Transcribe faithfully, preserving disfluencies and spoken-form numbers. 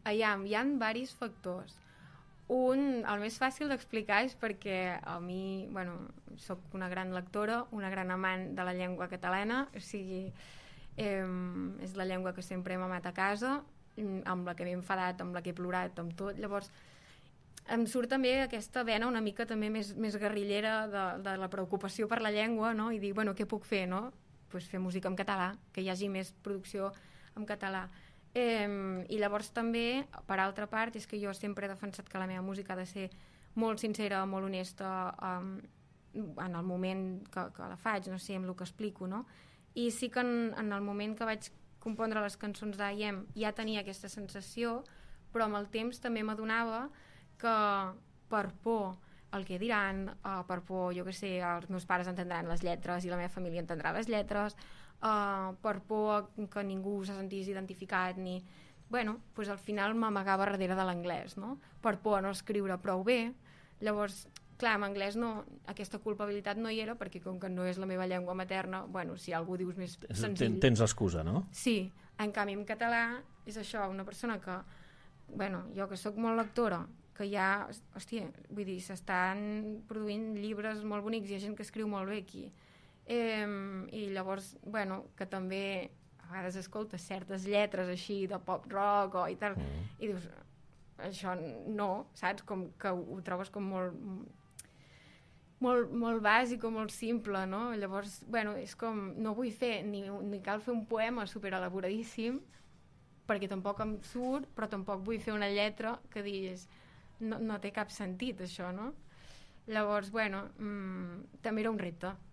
Aviam, hi ha diversos factors. Un, el més fàcil d'explicar és perquè a mi, bueno, soc una gran lectora, una gran amant de la llengua catalana, o sigui, eh, és la llengua que sempre hem amat a casa, amb la que m'he enfadat, amb la que he plorat, amb tot. Llavors, em surt també aquesta vena una mica també més, més guerrillera de, de la preocupació per la llengua, no? I dir, bueno, què puc fer, no? Pues fer música en català, que hi hagi més producció en català. Eh, I llavors també, per altra part, és que jo sempre he defensat que la meva música ha de ser molt sincera, molt honesta, um, en el moment que, que la faig, no sé, amb el que explico, no? I sí que en, en el moment que vaig compondre les cançons d'A I E M ja tenia aquesta sensació, però amb el temps també m'adonava que per por el que diran, uh, per por, jo què sé, els meus pares entendran les lletres i la meva família entendrà les lletres, Uh, per por que ningú se sentís identificat ni... bueno, pues al final m'amagava darrere de l'anglès, no? Per por a no escriure prou bé. Llavors, clar, en anglès no, aquesta culpabilitat no hi era, perquè com que no és la meva llengua materna, bueno, si algú dius més senzill... Tens excusa, no? Sí, en canvi en català és això, una persona que, bueno, jo que sóc molt lectora, que ja, hòstia, vull dir, s'estan produint llibres molt bonics, hi ha gent que escriu molt bé aquí. Eh, i llavors, bueno, que també a vegades escoltes certes lletres així de pop rock o i tal, mm. i dius, això no, saps? Com que ho trobes com molt molt, molt bàsic o molt simple, no? Llavors, bueno, és com, no vull fer ni, ni cal fer un poema superelaboradíssim perquè tampoc em surt, però tampoc vull fer una lletra que diguis no, no té cap sentit això, no? Llavors, bueno, mmm, també era un repte,